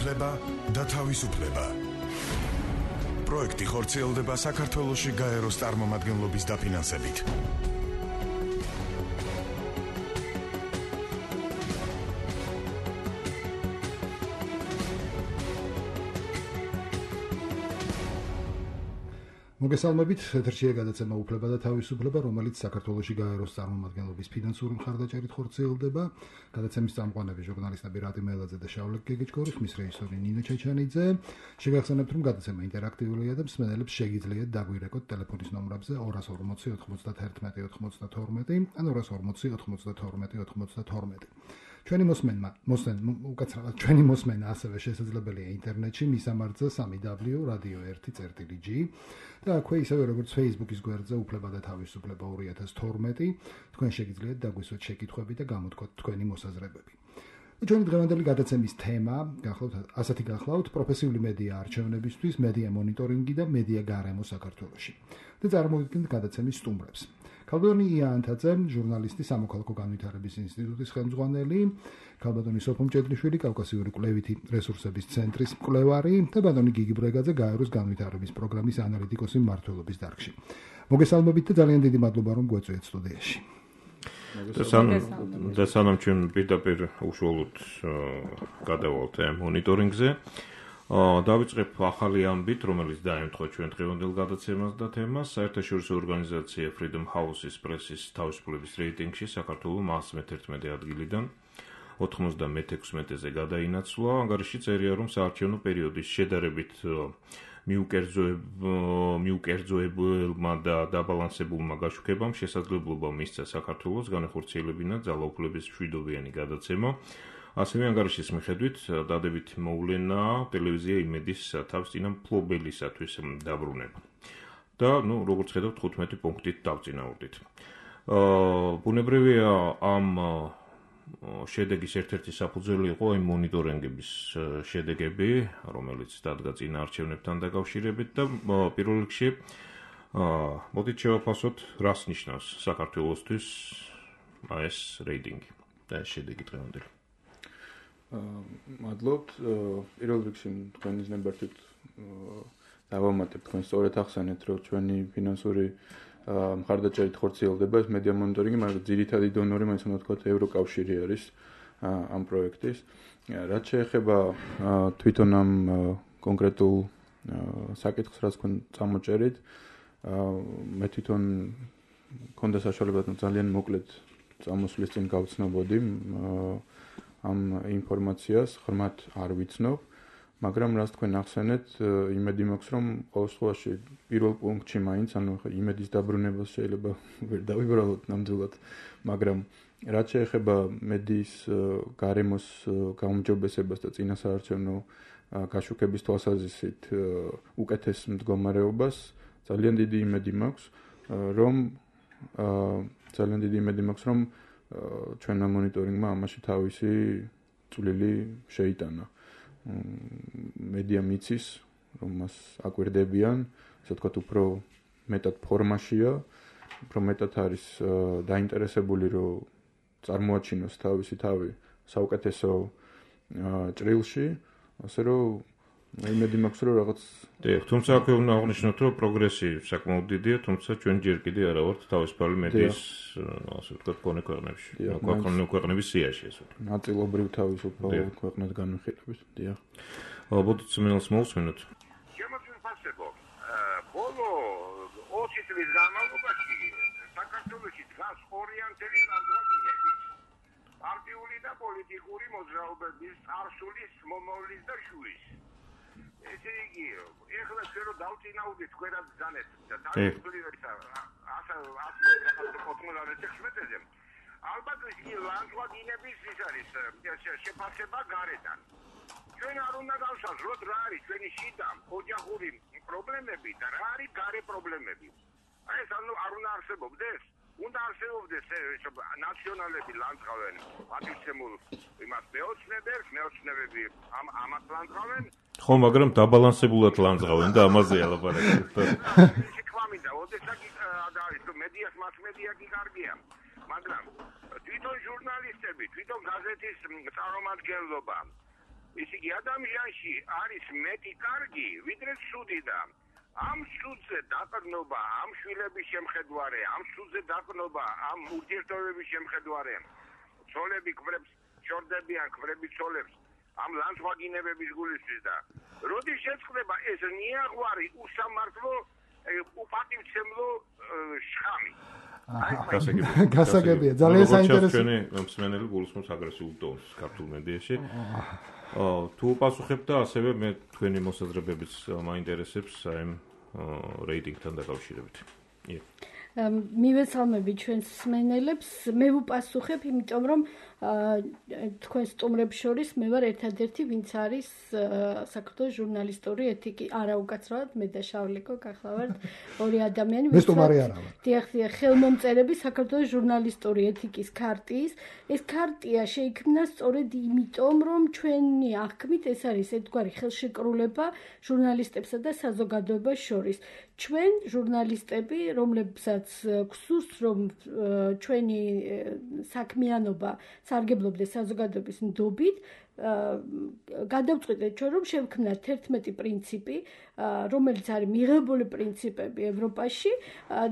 უფლება და თავისუფლება. პროექტი ხორციელდება საქართველოში გაეროს წარმომადგენლობის დაფინანსებით. მოგესალმებით, ეთერშია გადაცემა უფლება და თავისუფლება, რომელიც საქართველოში გაეროს წარმომადგენლობის ფინანსური მხარდაჭერით ხორციელდება. გადაცემის წამყვანები ჟურნალისტები რატი მელაძე და შავლაკ გეგეჭკორი, ხმის რეჟისორი ნინო ჩაჩანიძე. შეგახსენებთ, რომ გადაცემა ინტერაქტიულია და მსმენელებს შეგიძლიათ დაგვირეკოთ ტელეფონის ნომრებზე 240 91 92 ან 240 92 92. ჩვენი მოსმენა ასევე შესაძლებელია ინტერნეტში მისამართზე www.radio1.g და აქვე ისევე როგორც Facebook-ის გვერდზე უფლება და თავისუფლება 2012 თქვენ შეგიძლიათ დაგვისვათ შეკითხვები და გამოთქვათ თქვენი მოსაზრებები. ჩვენი დღევანდელი გადაცემის თემა ასეთი გახლავთ პროფესიული მედია არჩევნებისთვის, მედია მონიტორინგი და მედია გარემო საქართველოში. და წარმოვიდგინთ გადაცემის სტუმრებს. ქალბატონი იანთაძე, ჟურნალისტი, სამოქალაქო განვითარების ინსტიტუტის ხელმძღვანელი, ქალბატონი სოფო მჭედლიშვილი, კავკასიური კვლევითი რესურსების ცენტრის მკვლევარი და ბატონი გიგი ბრეგაძე, გაეროს განვითარების პროგრამის ანალიტიკოსი მმართველობის დარგში. მოგესალმებით და ძალიან დიდი მადლობა, რომ გვეწვიეთ სტუდიაში. და სანამ ჩვენ პირდაპირ უშუალოდ გადავალთ მონიტორინგზე, დავიწყებ ახალი ამბით, რომელიც დაემთხვა ჩვენ დღევანდელ გადაცემას და თემას. საერთაშორისო ორგანიზაცია Freedom House-ის პრესის თავისუფლების რეიტინგში საქართველო 111 ადგილიდან 96-ზე გადაინაცვლა. ანგარიში წერია, რომ საარჩევნო პერიოდის შედარებით მიუკერძოებელმა და დაბალანსებულმა გაშუქებამ შესაძლებლობა მისცა საქართველოს განახორციელებინა ძალაუფლების მშვიდობიანი გადაცემა. ასევე ანგარიშის მიხედვით დადებით მოვლენა ტელევიზია იმედის თავსწინა მფლობელისათვის დაბრუნება. და როგორც ხედავთ 15 პუნქტით დავწინაურდით. ბუნებრივია ამ შედეგის ერთ-ერთი საფუძველი იყო იმ მონიტორინგების შედეგები, რომელიც დადგა წინა არჩევნებთან დაკავშირებით და პირველ რიგში მოდით შევაფასოთ, რას ნიშნავს საქართველოსთვის ეს რეიტინგი და ეს შედეგი დღევანდელი. მადლობთ. პირველ რიგში თქვენის ნებართვით დავამატებ თქვენ სწორედ ახსენეთ, რომ ჩვენი ფინანსური მხარდაჭერით ხორციელდება ეს მედია მონიტორინგი, მაგრამ ძირითადი დონორი მაინც უნდა ვთქვათ ევროკავშირი არის ამ პროექტის. რაც შეეხება თვითონ ამ კონკრეტულ საკითხს, რაც თქვენ წამოჭერით, მე თვითონ მქონდა საშუალება ძალიან მოკლედ წამოსვლის წინ გავცნობოდი ამ ინფორმაციას, ღრმად არ ვიცნობ, მაგრამ რაც თქვენ ახსენეთ, იმედი მაქვს, რომ ყოველ შემთხვევაში პირველ პუნქტში მაინც, ანუ იმედის დაბრუნებას შეიძლება ვერ დავიბრალოთ ნამდვილად, მაგრამ რაც შეეხება მედიის გარემოს გაუმჯობესებას და წინასაარჩევნო გაშუქების თვალსაზრისით უკეთეს მდგომარეობას, ძალიან დიდი იმედი მაქვს, რომ ჩვენმა მონიტორინგმა ამაში თავისი წვლილი შეიტანა. მედია მიცის, რომ მას აკვირდებიან, ასე ვთქვათ, უფრო მეტად ფორმაშია, უფრო მეტად არის დაინტერესებული, რომ წარმოაჩინოს თავისი თავი საუკეთესო ჭრილში, ასე რომ იმედი მაქვს, რომ რაღაც თუმცა აქვე უნდა აღნიშნოთ, რომ პროგრესი საკმაოდ დიდია, თუმცა ჩვენ ჯერ კიდე არა ვართ თავისუფალი მედიის, ასე ვთქვათ, მქონე ქვეყნებში. ქვეყნების სიაში ეს ვთქვათ. ნაწილობრივ თავისუფალ ქვეყნად განვიხილებით. დიახ. ალბათ წმინდანს მოვსმინოთ. შემოგვიფასებო. ბოლო 20 წლის განმავლობაში საქართველოში დგას ორიენტელი ლანდშაფტები. პარტიული და პოლიტიკური მოძრაობების წარსულის, მომავლის და შუის. ესე იგი, ეხლა ჩვენ რომ დავწინაურდით თქვენად ძანეთ და თავისუფლებისა ასმედრე ალბათ ის ლანდშაფტების ის არის შეფასება გარედან. ჩვენ არ უნდა გავსაზრდოთ რა არის ჩვენი შიდა ოჯახური პრობლემები და რა არის გარე პრობლემები. აი ეს არ უნდა არსებობდეს. უნდა არსებობდეს ნაციონალები ლანდშაფტენ პატივცემულ იმას მეოცნებები ამათ ლანდშაფტენ ხო, მაგრამ დაბალანსებულად ლანძღავენ და ამაზეა ლაპარაკი. შექმამინდა, ოდესაც არის რომ მედიას მასმედია კი კარგია, მაგრამ თვითონ ჟურნალისტები, თვითონ გაზეთის წარმომადგენლობა ისე იგი ადამიანში არის მეტი კარგი, ვიდრე ცუდი და ამ სულზე დაყრდნობა, ამ შვილების შემხედვარე, ამ სულზე დაყრდნობა, ამ ურთიერთობების შემხედვარე, ცოლები ქმრებს შორდებიან, ქმრები ცოლებს, ამ ლანძღვაგინებების გულისთვის და როდის შეწყდება ეს ნიაღვარი უსამართლო უპატივცემლო შხამი. გასაგებია, ძალიან საინტერესო. ჩვენი მსმენელი გულისხმობს აგრესიულ ტონს ქართულ მედიაში. თუ პასუხებ და ასევე მე თქვენი მოსაზრებებიც მაინტერესებს აი რეიტინგთან დაკავშირებით. მივესალმები ჩვენს მსმენელებს, მე ვუპასუხებ, იმიტომ რომ თქვენ სტუმრებს შორის მე ვარ ერთადერთი, ვინც არის საქართველოს ჟურნალისტური ეთიკი, არა უკაცრავად მე და შავლიკო გახლავართ ორი ადამიანი, მე სტუმარი არა ვარ. დიახ, ხელმომწერები საქართველოს ჟურნალისტური ეთიკის ქარტიის. ეს ქარტია შეიქმნა სწორედ იმიტომ, რომ ჩვენი აღქმით ეს არის ერთგვარი ხელშეკრულება ჟურნალისტებსა და საზოგადოებას შორის. ჩვენ ჟურნალისტები, რომლებსაც გვსურს, რომ ჩვენი საქმიანობა სარგებლობდეს საზოგადოების ნდობით, გადავწყვიტეთ ჩვენ, რომ შევქმნათ 11 პრინციპი, რომელიც არის მიღებული პრინციპები ევროპაში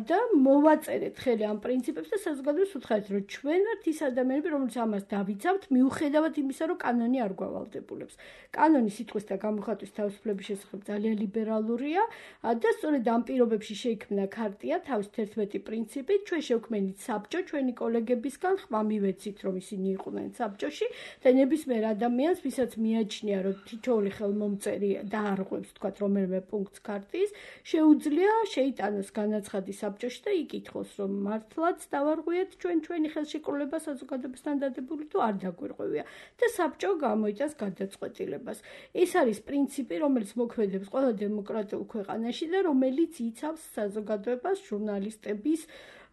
და მოვაწერეთ ხელი ამ პრინციპებს და საზოგადოებას უთხრეთ, რომ ჩვენ ვართ ის ადამიანები, რომლებიც ამას დავიცავთ, მიუხედავად იმისა, რომ კანონი არ გვავალდებულებს. კანონი სიტყვის და გამოხატვის თავისუფლების შესახებ ძალიან ლიბერალურია და სწორედ ამ პირობებში შეიქმნა ქარტია თავის 11 პრინციპით. ჩვენ შევქმნით საბჭო ჩვენი კოლეგებისგან, ხმა მივეცით, რომ ისინი იყვნენ საბჭოში და ნებისმიერ ადამიანს, ვისაც მიაჩნია, რომ თითოეული ხელმომწერი დაარღვევს, თქვათ, რომელიმე პუნქტს ქარტიის, შეუძლია შეიტანოს განაცხადი საბჭოში და იკითხოს, რომ მართლაც დავარღვიეთ ჩვენი ხელშეკრულება საზოგადოებასთან დადებული თუ არ დაგვირღვევია და საბჭო გამოიტანს გადაწყვეტილებას. ეს არის პრინციპი, რომელიც მოქმედებს ყველა დემოკრატიულ ქვეყანაში და რომელიც იცავს საზოგადოებას ჟურნალისტების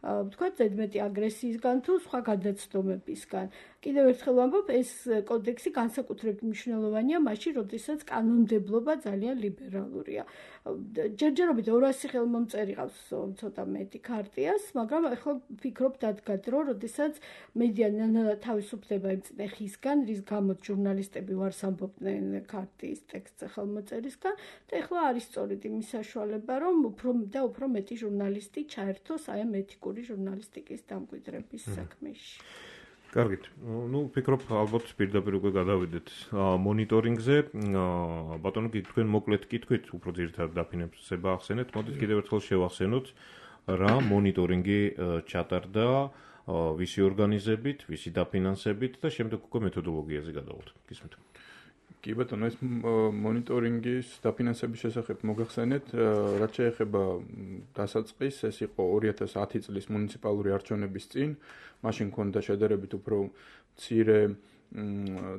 ვთქვათ, ზედმეტი აგრესიისგან თუ სხვა გადაცდომებისგან. კიდევ ერთხელ ვამბობ, ეს კოდექსი განსაკუთრებით მნიშვნელოვანია მაშინ, როდესაც კანონმდებლობა ძალიან ლიბერალურია. ჯერჯერობით 200 ხელმომწერი ყავს ცოტა მეტი ქარტიას, მაგრამ ახლა ვფიქრობ დადგათ, რომ როდესაც მედია თავისუფლდება იმწნე ხისგან, რის გამოც ჟურნალისტები ვარს ამბობდნენ ქარტიის ტექსტზე ხელმოწერისგან და ახლა არის სწორედ იმის საშუალება, რომ უფრო მეტი ჟურნალისტი ჩაერთოს აი ამ ეთიკური ჟურნალისტიკის დამკვიდრების საქმეში. კარგით. ვფიქრობ, ალბათ პირდაპირ უკვე გადავიდეთ მონიტორინგზე. ბატონო, თქვენ მოკლედ კითხვით, უფრო ძირითადად დაფინანსება ახსენეთ. მოდით კიდევ ერთხელ შევახსენოთ, რა მონიტორინგი ჩატარდა, ვისი ორგანიზებით, ვისი დაფინანსებით და შემდეგ უკვე მეთოდოლოგიაზე გადავალთ. გისმენთ. კი ბატონო, ეს მონიტორინგის დაფინანსების შესახებ მოგახსენეთ, რაც შეეხება დასაწყისს, ეს იყო 2010 წლის მუნიციპალური არჩევნების წინ, მაშინ ქონდა შედარებით უფრო მცირე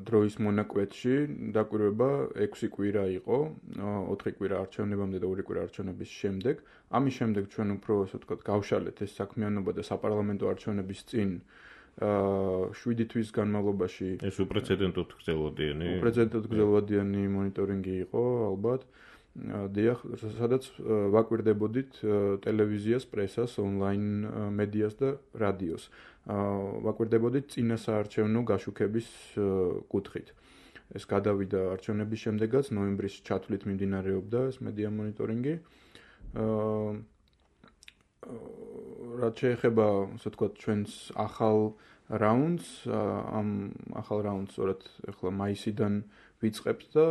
დროის მონაკვეთში, დაკვირვება 6 კვირა იყო, 4 კვირა არჩევნებამდე და 2 კვირა არჩევნების შემდეგ. ამის შემდეგ ჩვენ უფრო, ასე ვთქვათ, გავშალეთ ეს საქმიანობა და საპარლამენტო არჩევნების წინ 7 თვის განმავლობაში ეს უპრეცედენტოდ გრძელვადიანი მონიტორინგი იყო ალბათ. დიახ, სადაც ვაკვირდებოდით ტელევიზიას, პრესას, ონლაინ მედიას და რადიოს. ვაკვირდებოდით წინასაარჩევნო გაშუქების კუთხით. ეს გადავიდა არჩევნების შემდეგაც, ნოემბრის ჩათვლით მიმდინარეობდა ეს მედია მონიტორინგი. რაც შეეხება, ასე ვთქვათ, ჩვენს ახალ რაუნდს, ამ ახალ რაუნდს სწორედ ახლა მაისიდან ვიწყებთ და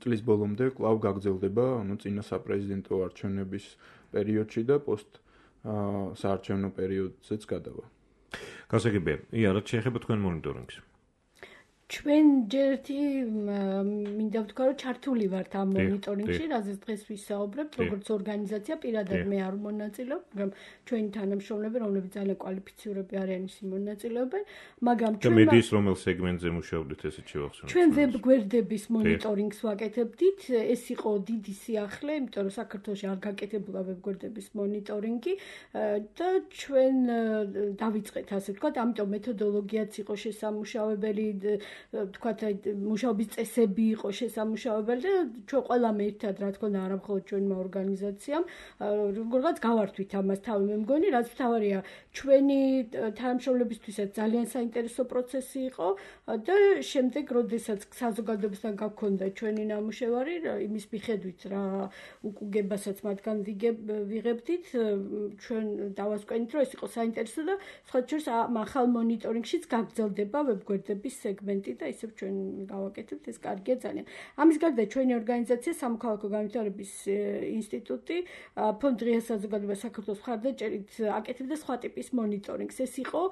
წლის ბოლომდე კვლავ გაგრძელდება, წინა საპრეზიდენტო არჩევნების პერიოდში და პოსტ საარჩევნო პერიოდზეც გადავა. გასაგებია, რაც შეეხება თქვენ მონიტორინგს. ჩვენ ჯერტი მინდა ვთქვა, რომ ჩართული ვართ ამ მონიტორინგში, რაზეც დღეს ვისაუბრებთ, როგორც ორგანიზაცია, პირადად მე არ მონაწილეობ, მაგრამ ჩვენი თანამშრომლები, რომლებიც ძალიან კვალიფიცირებული არიან, ისინი მონაწილეობენ, მაგრამ ჩვენ მედიის რომელ სეგმენტზე მუშაობდით, ესეც შევახსენოთ. ჩვენ ვებ გვერდების მონიტორინგს ვაკეთებდით, ეს იყო დიდი სიახლე, იმიტომ რომ საქართველოში არ გაკეთებულა ვებ გვერდების მონიტორინგი და ჩვენ დავიწყეთ, ასე ვთქვათ, ამიტომ მეთოდოლოგიაც იყო შესამუშავებელი თქვათ მუშაობის წესები იყო შესამუშავებელი და ჩვენ ყველამ ერთად რა თქმა უნდა არა მხოლოდ ჩვენმა ორგანიზაციამ როგორღაც გავართვით ამას თავი მე მგონი რაც თავარია ჩვენი თანამშრომლებისთვისაც ძალიან საინტერესო პროცესი იყო და შემდეგ როდესაც საზოგადოებასთან გაქონდა ჩვენი ნამუშევარი იმის მიხედვით რა უკუგებასაც მათგან ვიღებდით ჩვენ დავასკვენით რომ ეს იყო საინტერესო და სხვა შორის ახალ მონიტორინგშიც გაგრძელდება ვებგვერდების სეგმენტი და ისევ ჩვენ გავაკეთებთ ეს კარგია ძალიან. ამის გარდა ჩვენი ორგანიზაცია სამოქალაქო განვითარების ინსტიტუტი ფონდ დღეა საზოგადოება საქართველოს მხარდაჭერით აკეთებდა სხვა ტიპის მონიტორინგს. ეს იყო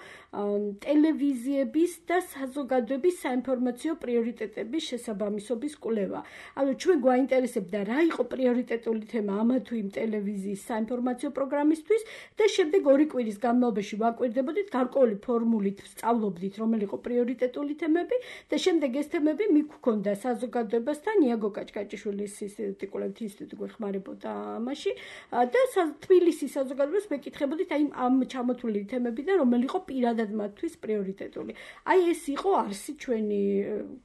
ტელევიზიების და საზოგადოების საინფორმაციო პრიორიტეტების შესაბამისობის კვლევა. ანუ ჩვენ გვაინტერესებდა რა იყო პრიორიტეტული თემა ამა თუ იმ ტელევიზიის საინფორმაციო პროგრამისთვის და შემდეგ 2 კვირის განმავლობაში ვაკვირდებოდით გარკვეული ფორმულით სწავლობდით რომელი იყო პრიორიტეტული თემები და შემდეგ ეს თემები მიგქონდა საზოგადოებასთან იაგო კაჭკაჭიშვილის ინსტიტუტი კვლევითი ინსტიტუტი გვეხმარებოდა ამაში და თბილისის საზოგადოებას მეკითხებოდით აი ამ ჩამოთვლილი თემებიდან რომელი იყო პირადად მათთვის პრიორიტეტული. აი ეს იყო არსი ჩვენი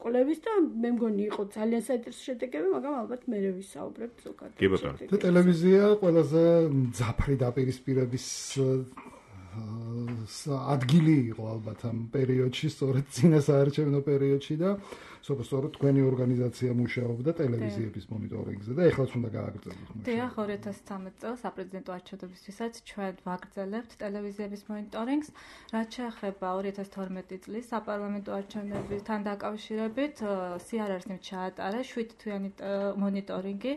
კვლევის და მე მგონი იყო ძალიან საინტერესო შედეგები, მაგრამ ალბათ მე ვისაუბრებ ზოგადად. კი ბატონო. და ტელევიზია ყველაზე მძაფრი დაპირისპირების ადგილი იყო ალბათ ამ პერიოდში, სწორედ წინასაარჩევნო პერიოდში და სწორედ თქვენი ორგანიზაცია მუშაობდა ტელევიზიების მონიტორინგზე და ეხლაც უნდა გააგრძელოთ. დიახ, 2013 წელს საპრეზიდენტო არჩევნებისთვისაც ჩვენ ვაგრძელებთ ტელევიზიების მონიტორინგს, რაც შეეხება 2012 წლის საპარლამენტო არჩევნებთან დაკავშირებით, CRR-ს ჩაატარა 7 თვიანი მონიტორინგი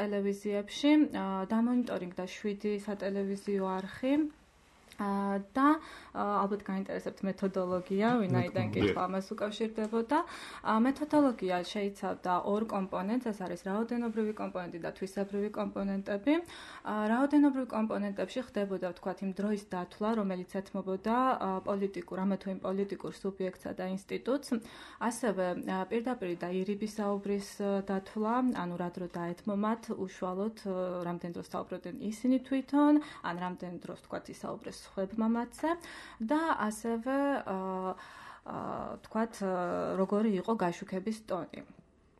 ტელევიზიებში, დამონიტორინგდა 7 სატელევიზიო არხი და ალბათ გაინტერესებთ მეთოდოლოგია, ვინაიდან კითხვა ამას უკავშირდებოდა. მეთოდოლოგია შეიცავდა 2 კომპონენტს, ეს არის რაოდენობრივი კომპონენტი და თვისებრივი კომპონენტები. რაოდენობრივ კომპონენტებში ხდებოდა ვთქვათ იმ დროის დათვლა, რომელიც ეთმობოდა ამა თუ იმ პოლიტიკურ სუბიექტსა და ინსტიტუტს. ასევე პირდაპირ და ირიბის საუბრის დათვლა, ანუ რა დრო დაეთმომათ უშუალოდ რამდენ დროს საუბრობდნენ ისინი თვითონ, ან რამდენ დროს ვთქვათ ისაუბრეს ხვებმა მათზე და ასევე თქვათ როგორი იყო გაშუქების ტონი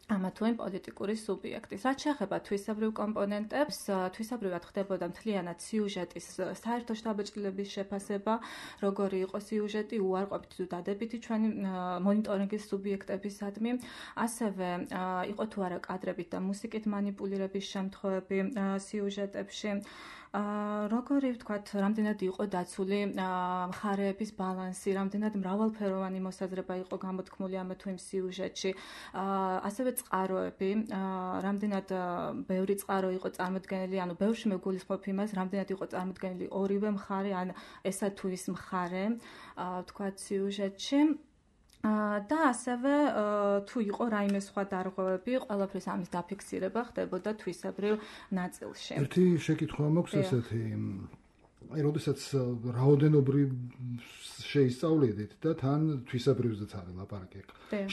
ამა თუ იმ პოლიტიკური სუბიექტის. რაც შეეხება თვისებრივ კომპონენტებს, თვისებრივად ხდებოდა მთლიანად სიუჟეტის საერთო შთაბეჭდილების შეფასება, როგორი იყო სიუჟეტი უარყოფითი თუ დადებითი ჩვენი მონიტორინგის სუბიექტებისადმი. ასევე იყო თუ არა კადრებით და მუსიკით მანიპულირების შემთხვევები სიუჟეტებში. როგორი ვთქვათ, რამდენად იყო დაცული მხარეების ბალანსი, რამდენად მრავალფეროვანი მოსაზრება იყო გამოთქმული ამა თუ იმ სიუჟეტში. ასევე წყაროები, რამდენად ბევრი წყარო იყო წარმოდგენილი, ანუ ბევრში მეგულისხმობ იმას, რამდენად იყო წარმოდგენილი ორივე მხარე, ან ესა თუ ის მხარე, ვთქვათ, სიუჟეტში. და ასევე თუ იყო რაიმე სხვა დარღვევები, ყველაფრის ამის დაფიქსირება ხდებოდა თვისებრივ ნაწილში. ერთი შეკითხვა მაქვს ესეთი, როდესაც რაოდენობრივ შეისწავლიდით და თან თვისებრივზეც არის ლაპარაკი.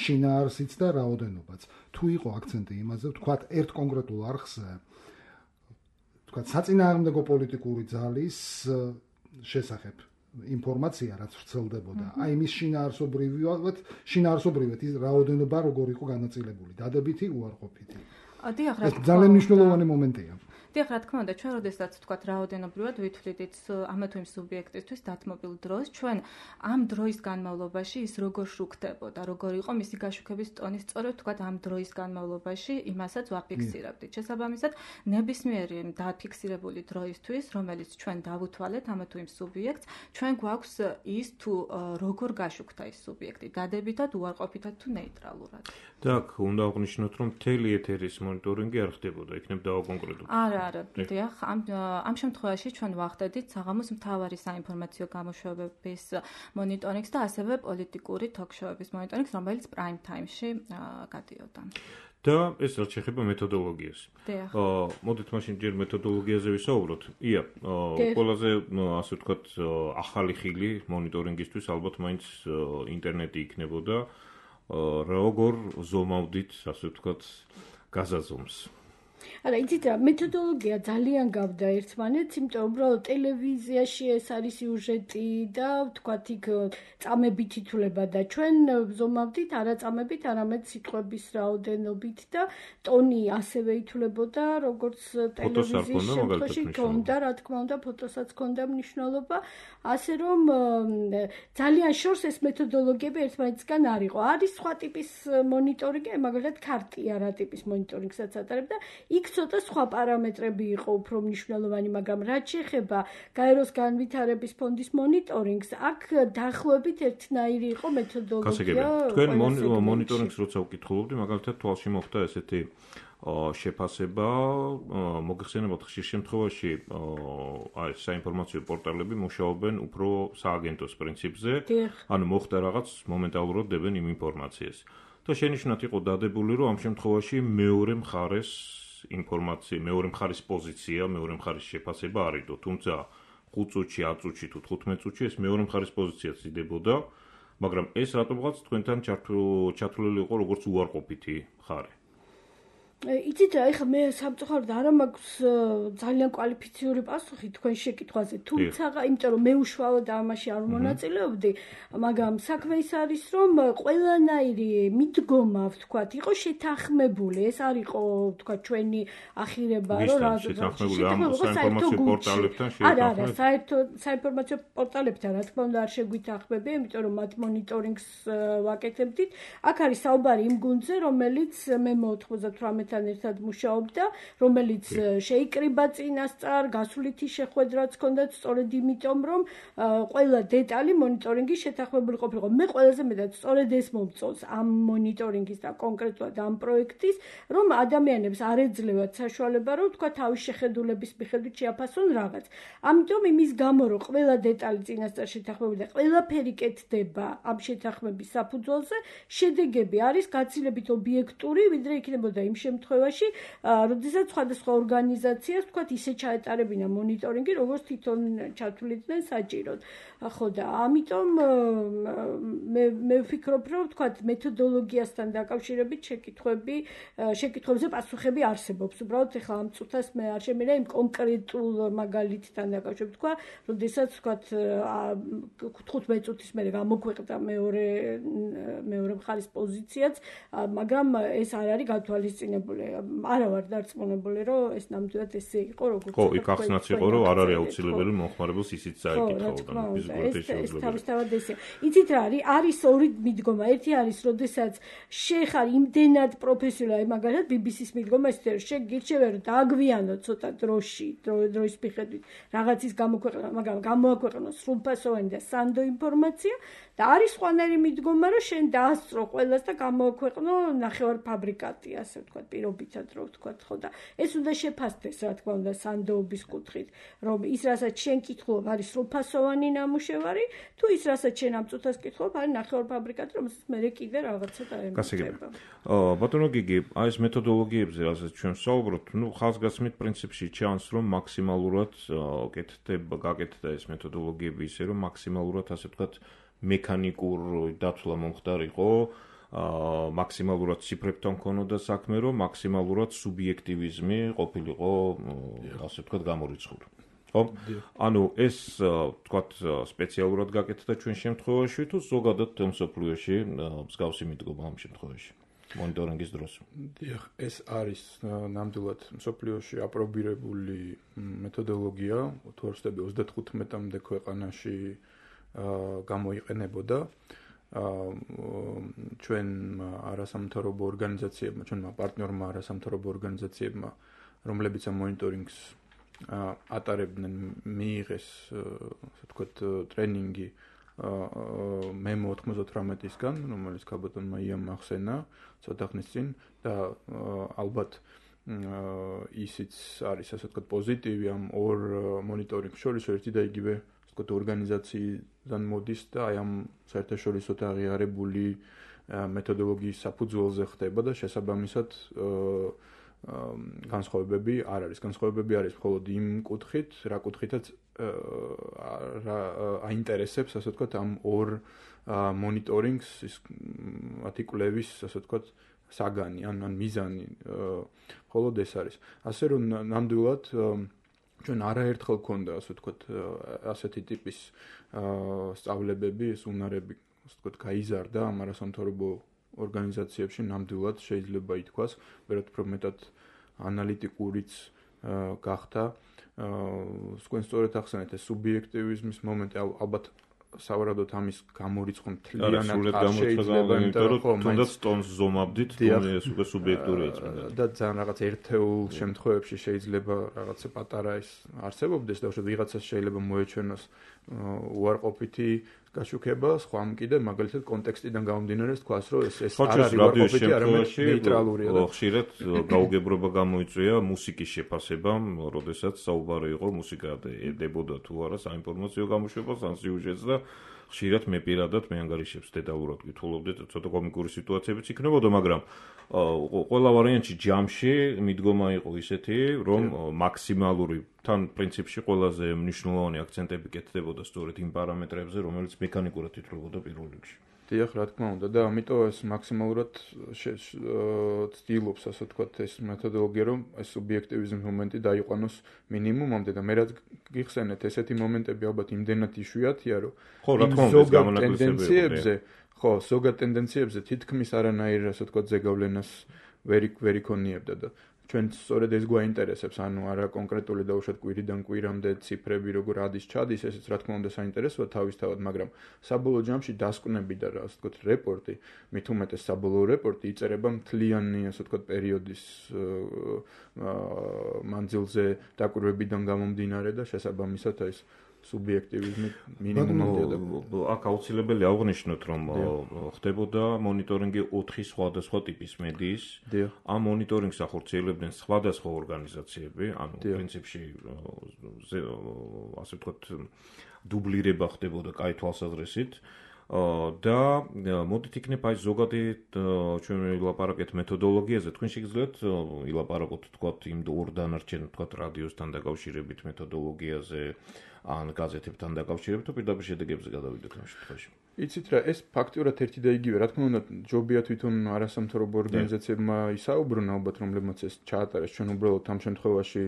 შინაარსიც და რაოდენობაც. თუ იყო აქცენტი იმაზე, ვთქვათ, ერთ კონკრეტულ არხზე, ვთქვათ, საწინააღმდეგო პოლიტიკური ძალის შესახებ ინფორმაცია რაც ვრცელდებოდა. აი მის შინაარსობრივად ის რაოდენობა როგორ იყო განაწილებული, დადებითი, უარყოფითი. დიახ, ეს ძალიან მნიშვნელოვანი მომენტია. დიახ, რა თქმა უნდა, ჩვენ როდესაც ვთქვათ რაოდენობრივად ვითვლით ამა თუ იმ სუბიექტისთვის დათმობილ დროს, ჩვენ ამ დროის განმავლობაში ის როგორ შუქდებოდა, როგორ იყო მისი გაშუქების ტონი, სწორედ ვთქვათ ამ დროის განმავლობაში იმასაც ვაფიქსირებდით. შესაბამისად, ნებისმიერი დაფიქსირებული დროისთვის, რომელიც ჩვენ დავუთვალეთ ამა თუ იმ სუბიექტს, ჩვენ გვაქვს ის თუ როგორ გაშუქდა ის სუბიექტი, დადებითად, უარყოფითად თუ ნეიტრალურად. და აქ უნდა აღნიშნოთ, რომ მთელი ეთერის მონიტორინგი არ ხდებოდა, იქნებ დავაკონკრეტოთ. არა, დიახ, ამ შემთხვევაში ჩვენ ვახდედით საღამოს მთავარი საინფორმაციო გამოშვებების მონიტორინგს და ასევე პოლიტიკური თოქ-შოუების მონიტორინგს, რომელიც prime time-ში გადიოდა. და ეს რაც შეეხება მეთოდოლოგიას. მოდით მაშინ ჯერ მეთოდოლოგიაზე ვისაუბროთ. ყველაზე ასე ვთქვათ, ახალი ხილი მონიტორინგისთვის ალბათ მაინც ინტერნეტი იქნებოდა. როგორ ზომავდით, ასე ვთქვათ, გაზაზომს. არა, იცით რა, მეთოდოლოგია ძალიან გავდა ერთმანეთს, იმიტომ რომ უბრალოდ ტელევიზიაში ეს არის სიუჟეტი და ვთქვათ იქ წამებით ითვლება და ჩვენ ვზომავდით არა წამებით, არამედ სიტყვების რაოდენობით და ტონი ასევე ითვლებოდა, როგორც ტელევიზიის შემთხვევაში ქონდა, რა თქმა უნდა, ფოტოსაც ქონდა მნიშვნელობა, ასე რომ ძალიან შორს ეს მეთოდოლოგიები ერთმანეთსგან არ იყო. არის სხვა ტიპის მონიტორინგი, მაგალითად ქარტია რა ტიპის მონიტორინგსაც ატარებდა. იქ ცოტა სხვა პარამეტრები იყო უფრო მნიშვნელოვანი, მაგრამ რაც შეეხება გაეროს განვითარების ფონდის მონიტორინგს, აქ დაახლოებით ერთნაირი იყო მეთოდოლოგია. თქვენ მონიტორინგს როცა უკითხულობდი, მაგალითად თვალში მოხდა ესეთი შეფასება, მოგეხსენებათ ხშირ შემთხვევაში აი საინფორმაციო პორტალები მუშაობენ უფრო სააგენტოს პრინციპზე, ანუ მოხდა რაღაც მომენტალურად დებენ იმ ინფორმაციას. და შენიშნათ იყო დადებული, რომ ამ შემთხვევაში მეორე მხარეს ინფორმაცია, მეორე მხარის პოზიცია, მეორე მხარის შეფასება არიდო, თუმცა 5 წუთში, 10 წუთში თუ 15 წუთში ეს მეორე მხარის პოზიციაც იდებოდა, მაგრამ ეს რატომღაც თქვენთან ჩათვლილი იყო როგორც უარყოფითი მხარე. იცით რა, ეხლა მე სამწუხაროდ არ მაქვს ძალიან კვალიფიციური პასუხი თქვენ შეკითხვაზე, თუმცა იმიტომ რომ მე უშუალოდ ამაში არ მონაწილეობდი, მაგრამ საქმე ის არის, რომ ყველანაირი მიდგომა, ვთქვათ, იყო შეთანხმებული. ეს არ იყო, ვთქვათ, ჩვენი ახირება, რომ რა შეთანხმებული ამ საინფორმაციო პორტალებთან არა, საინფორმაციო პორტალებთან, რა თქმა უნდა, არ შეგვითანხმებია, იმიტომ რომ მათ მონიტორინგს ვაკეთებდით. აქ არის საუბარი იმ გუნდზე, რომელიც მე 98 ერთად მუშაობდა, რომელიც შეიკრიბა წინასწარ, გასულითი შეხვედრაც ჰქონდათ, სწორედ იმიტომ, რომ ყველა დეტალი მონიტორინგის შეთანხმებული ყოფილიყო. მე ყველაზე მეტად სწორედ ეს მომწონს ამ მონიტორინგის და კონკრეტულად ამ პროექტის, რომ ადამიანებს არ ეძლევათ საშუალება, რომ თქვა თავის შეხედულების მიხედვით შეაფასონ რაღაც. ამიტომ იმის გამო, რომ ყველა დეტალი წინასწარ შეთანხმებული და ყველაფერი კეთდება ამ შეთანხმების საფუძველზე, შედეგები არის გაცილებით ობიექტური, ვიდრე იქნებოდა იმ შემთხვევაში, როდესაც სხვადასხვა ორგანიზაციას, თქვათ, ისე ჩაეტარებინა მონიტორინგი, როგორც თვითონ ჩათვლიდნენ საჭიროდ. ხო და ამიტომ მე ვფიქრობ, რომ თქვათ, მეთოდოლოგიასთან დაკავშირებით შეკითხვებზე პასუხები არსებობს. უბრალოდ ეხლა ამ წუთას მე არ შემიძლია იმ კონკრეტულ მაგალითთან დაკავშირებით თქვა, როდესაც თქვათ 15 წუთის მერე გამოგვეყდა მეორე მხარის პოზიციაც, მაგრამ ეს არ არის გათვალისწინებული. არა ვარ დარწმუნებული, რომ ეს ნამდვილად ესე იყო, როგორც ხო, იქ ახსნაც იყო, რომ არ არის აუცილებელი მომხმარებელს ისიც წაეკითხა. ეს თავისთავად ესეა. იცით რა არის ორი მიდგომა. ერთი არის, როდესაც შეხარ იმდენად პროფესიონალი, მაგალითად BBC-ს მიდგომა ეს შეგირჩევენ, რომ დააგვიანო ცოტა დროის მიხედვით რაღაცის გამოქვეყნა, მაგრამ გამოაქვეყნო სრულფასოვანი და სანდო ინფორმაცია და არის სხვანაირი მიდგომა, რომ შენ დაასწრო ყველას და გამოაქვეყნო ნახევარ ფაბრიკატი, ასე ვთქვათ, პირობითად რო ვთქვათ, ხო და ეს უნდა შეფასდეს, რა თქმა უნდა, სანდოობის კუთხით, რომ ის რასაც შენ კითხულობ არის სრულფასოვანი ნამუშევარი, თუ ის რასაც შენ ამ წუთას კითხულობ არის ნახევარ ფაბრიკატი, რომელსაც მე კიდე რაღაცა დაემატება. ბატონო გიგი, აი ეს მეთოდოლოგიებზე, რასაც ჩვენ ვსაუბრობთ, ხაზგასმით პრინციპში ჩანს, რომ მაქსიმალურად გაკეთდა ეს მეთოდოლოგიები ისე, რომ მაქსიმალურად, ასე ვთქვათ, მექანიკურ დათვლა მომხდარიყო, მაქსიმალურად ციფრებთან ქონოდა საქმე, რომ მაქსიმალურად სუბიექტივიზმი ყოფილიყო, ასე ვთქვათ, გამორიცხული. ხო? ანუ ეს, ვთქვათ, სპეციალურად გაკეთდა ჩვენ შემთხვევაში, თუ ზოგადად მსოფლიოში მსგავსი მიდგომა ამ შემთხვევაში მონიტორინგის დროს. დიახ, ეს არის ნამდვილად მსოფლიოში აპრობირებული მეთოდოლოგია, თუ არ ვცდები 35-მდე ქვეყანაში გამოიყენებოდა. ჩვენ არასამთავრობო ორგანიზაციებმა, ჩვენმა პარტნიორმა არასამთავრობო ორგანიზაციებმა, რომლებიც ამ მონიტორინგს ატარებდნენ, მიიღეს, ასე ვთქვათ, ტრენინგი მემო 98-ისგან, რომელიც ქაბატონმა იამ ახსენა ცოტა ხნის წინ და ალბათ ისიც არის, ასე ვთქვათ, პოზიტივი ამ ორ მონიტორინგს შორის, ერთი და იგივე ორგანიზაციიდან მოდის და აი ამ საერთაშორისო აღიარებული მეთოდოლოგიის საფუძველზე ხდება და შესაბამისად განსხვავებები არ არის. განსხვავებები არის მხოლოდ იმ კუთხით, რა კუთხითაც აინტერესებს, ასე ვთქვათ, ამ ორ მონიტორინგს ის მათი კვლევის, ასე ვთქვათ, საგანი ან მიზანი მხოლოდ ეს არის. ასე რომ ნამდვილად ჩვენ არაერთხელ გქონდა ასე ვთქვათ ასეთი ტიპის სწავლებები, ეს უნარები ასე ვთქვათ გაიზარდა ამ არასამთავრობო ორგანიზაციებში ნამდვილად შეიძლება ითქვას, ვერათ უფრო მეტად ანალიტიკურიც გახდა. თქვენ სწორედ ახსენეთ ეს სუბიექტივიზმის მომენტი, ალბათ სავარაუდოდ ამის გამორიცხვა მთლიანად არ შეიძლება, იმიტომ რომ თუნდაც ტონს ზომავდით, ეს უკვე სუბიექტურია და ძალიან რაღაც ერთეულ შემთხვევებში შეიძლება რაღაცა პატარა ის არსებობდეს და უშუალოდ ვიღაცას შეიძლება მოეჩვენოს უარყოფითი გაშუქება, სხვამ კიდე მაგალითად კონტექსტიდან გამომდინარე თქვას, რომ ეს არ არის უარყოფითი, არამედ ნეიტრალურია. ხშირად გაუგებრობა გამოიწვია მუსიკის შეფასებამ, როდესაც საუბარი იყო მუსიკა ედებოდა თუ არა საინფორმაციო გამოშვებას ან სიუჟეტს და ხშირად მე პირადად მე ანგარიშებს დეტალურად გითხოვდი, ცოტა კომიკური სიტუაციებიც იქნებოდა, მაგრამ ყველა ვარიანტში ჯამში მიდგომა იყო ისეთი, რომ მაქსიმალური თან პრინციპში ყველაზე მნიშვნელოვანი აქცენტები კეთდებოდა სწორედ იმ პარამეტრებზე, რომელიც მექანიკურად ითვლებოდა პირველ რიგში. დიახ, რა თქმა უნდა და ამიტომ ეს მაქსიმალურად ცდილობს, ასე ვთქვათ, ეს მეთოდოლოგია, რომ ეს სუბიექტივიზმის მომენტი დაიყვანოს მინიმუმამდე და მე რაც გიხსენეთ, ესეთი მომენტები ალბათ იმდენად იშვიათია, რომ ზოგად ტენდენციებზე თითქმის არანაირ, ასე ვთქვათ, ზეგავლენას ვერ იქონიებდა და ჩვენ სწორედ ეს გვაინტერესებს, ანუ არა კონკრეტული და უშუალოდ კვირიდან კვირამდე ციფრები როგორ ადის ჩადის, ესეც რა თქმა უნდა საინტერესოა თავისთავად, მაგრამ საბოლოო ჯამში დასკვნები და ასე ვთქვათ რეპორტი, მით უმეტეს საბოლოო რეპორტი იწერება მთლიანი, ასე ვთქვათ, პერიოდის მანძილზე დაკვირვებიდან გამომდინარე და შესაბამისად ეს სუბიექტივიზმი მინიმუმამდე აქ აუცილებელი აღვნიშნოთ, რომ ხდებოდა მონიტორინგი 4 სხვადასხვა ტიპის მედიის. ამ მონიტორინგს ახორციელებდნენ სხვადასხვა ორგანიზაციები, ანუ პრინციპში ასე ვთქვათ დუბლირება ხდებოდა კაი თვალსაზრისით. და მოდით იქნებ აი ზოგადი ჩვენ ვილაპარაკეთ მეთოდოლოგიაზე, თქვენ შეგიძლიათ ილაპარაკოთ თქვათ იმ ორ დანარჩენ თქვათ რადიოსთან დაკავშირებით მეთოდოლოგიაზე ან გაზეთებთან დაკავშირებით, თუ პირდაპირ შედეგებზე გადავიდეთ ამ შემთხვევაში. იცით რა, ეს ფაქტიურად ერთი და იგივე, რა თქმა უნდა, ჯობია თვითონ არასამთავრობო ორგანიზაციებმა ისაუბრონ ალბათ, რომლებმაც ეს ჩაატარეს, ჩვენ უბრალოდ ამ შემთხვევაში